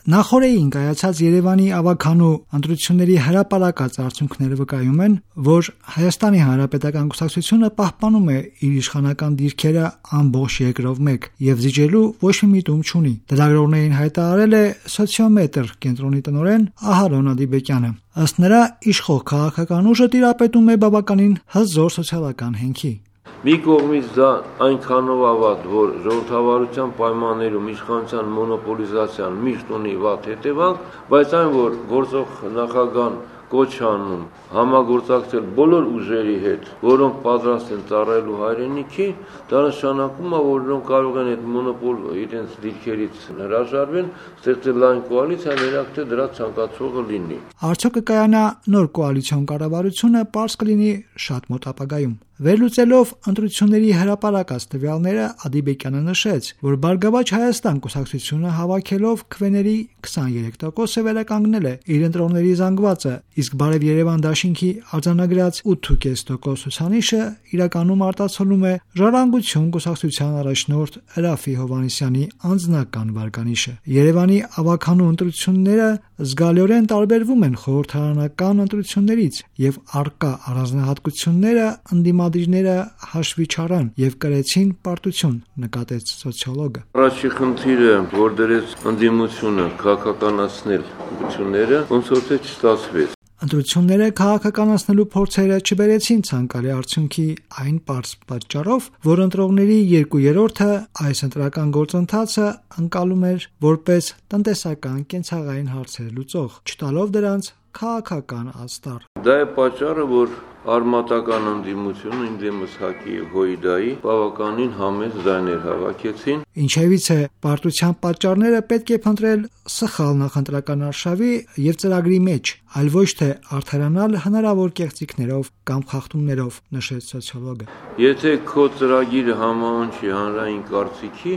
Նախորդին կայացած Երևանի ավագանու ընտրությունների հրապարակած արդյունքները վկայում են, որ Հայաստանի Հանրապետական Կուսակցությունը պահպանում է իր իշխանական դիրքերը ամբողջ երկրով մեկ եւ զիջելու ոչ մի միտում չունի։ Լրագրողներին հայտարարել է Սոցիոմետր կենտրոնի տնօրեն Ահարոն Ադիբեկյանը։ Ըստ նրա, իշխող քաղաքական ուժը տիրապետում է բավականին հզոր սոցիալական հենքի։ Մի կողմից դա այնքանով ավատ, որ ժողովրդավարության պայմաններում իշխանության մոնոպոլիզացիան միշտ ունի վատ հետևանք, բայց այն, որ գործող նախագահան կոչ անում համագործակցել բոլոր ուժերի հետ, որոնք պատրաստ են ծառայելու հայրենիքի, դա նշանակում է, որ նրանք կարող են այդ մոնոպոլ իրենց դիրքերից հրաժարվեն, ստեղծել լայն կոալիցիա, մենակ թե դրա ցանկացողը լինի։ Արդյոք կկայանա նոր կոալիցիոն կառավարությունը, պարզ կլինի շատ մոտ ապագայում։ Վերլուծելով ընտրությունների հրապարակած տվյալները, Ադիբեկյանը նշեց, որ Բարգավաճ Հայաստան կուսակցությունը հավաքելով քվեների 23% վերականգնել է իր ընտրողների զանգվածը, իսկ Բարև Երևան դաշինքի արձանագրած 8.5% ցուցանիշը իրականում արտացոլում է Ժառանգություն կուսակցության առաջնորդ Րաֆֆի Հովհաննիսյանի անձնական վարկանիշը։ Երևանի ավագանու ընտրությունները զգալիորեն տարբերվում են խորհրդարանական ընտրություններից եւ առկա առանձնահատկությունները ընդդիմադիրները հաշվի չառան եւ կրեցին պարտություն, նկատեց սոցիոլոգը։ Առաջի խնդիրը, որ դրեց ընդդիմությունը քաղաքականացնել ընտրությունները, ոնց որ թե չստացվեց։ Ընտրությունները քաղաքականացնելու փորձերը չբերեցին ցանկալի արդյունքի այն պարզ պատճառով, որ ընտրողների 2/3-ը այս ընտրական գործընթացը ընկալում էր որպես տնտեսական կենցաղային հարցեր լուծող, չտալով դրանց քաղաքական աստառ։ Դա է պատճառը, որ արմատական ընդդիմությունը ինդեմս ՀԱԿ-ի եւ ՀՅԴ-ի բավականին համեստ ձայներ հավաքեցին։ Ինչևից է պարտության պատճառները պետք է փնտրել սխալ նախընտրական արշավի եւ ծրագրի մեջ, այլ ոչ թե արդարանալ հնարավոր կեղծիքներով կամ խախտումներով, նշեց սոցիոլոգը։ Եթե քո ծրագիրը համահունչի հանրային կարծիքի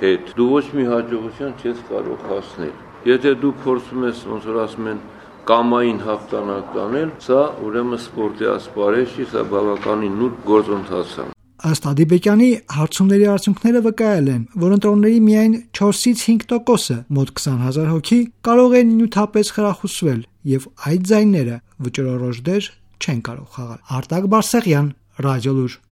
հետ, դու ոչ մի հաջողության չես կարող հասնել։ Եթե դու փորձում ես, ոնց որ ասում են, կամային հաղթանակ տանել, սա ուրեմն սպորտի ասպարեզ չի, սա բավականին նուրբ գործընթաց է։ Ըստ Ադիբեկյանի, հարցումների արդյունքները վկայել են, որ ընտրողների միայն 4-ից 5%-ը, մոտ 20,000 հոգի, կարող են նյութապես խրախուսվել, եւ այդ ձայները վճռորոշ դեր չեն կարող խաղալ։ Արտակ Բարսեղյան, Ռադիոլուր։